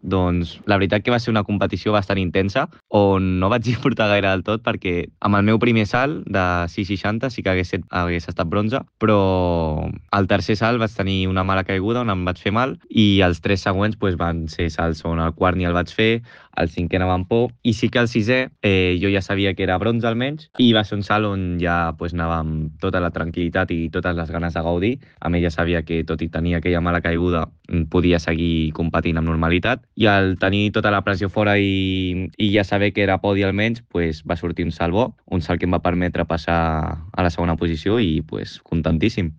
Doncs la veritat que va ser una competició bastant intensa, on no vaig disfrutar gaire del tot perquè amb el meu primer salt de 6,60 sí que hagués estat bronze, però al tercer salt vaig tenir una mala caiguda on em vaig fer mal i els tres següents pues, van ser salts on el quart ni el vaig fer, el cinquè anava amb por i sí que el sisè jo ja sabia que era bronze almenys i va ser un salt on ja pues, anava amb tota la tranquil·litat i totes les ganes de gaudir. A més ja sabia que tot i tenir aquella mala caiguda podia seguir competint amb normalitat i al tenir tota la pressió fora i ja saber que era podi almenys pues, va sortir un salt bo, un salt que em va permetre passar a la segona posició i pues, contentíssim.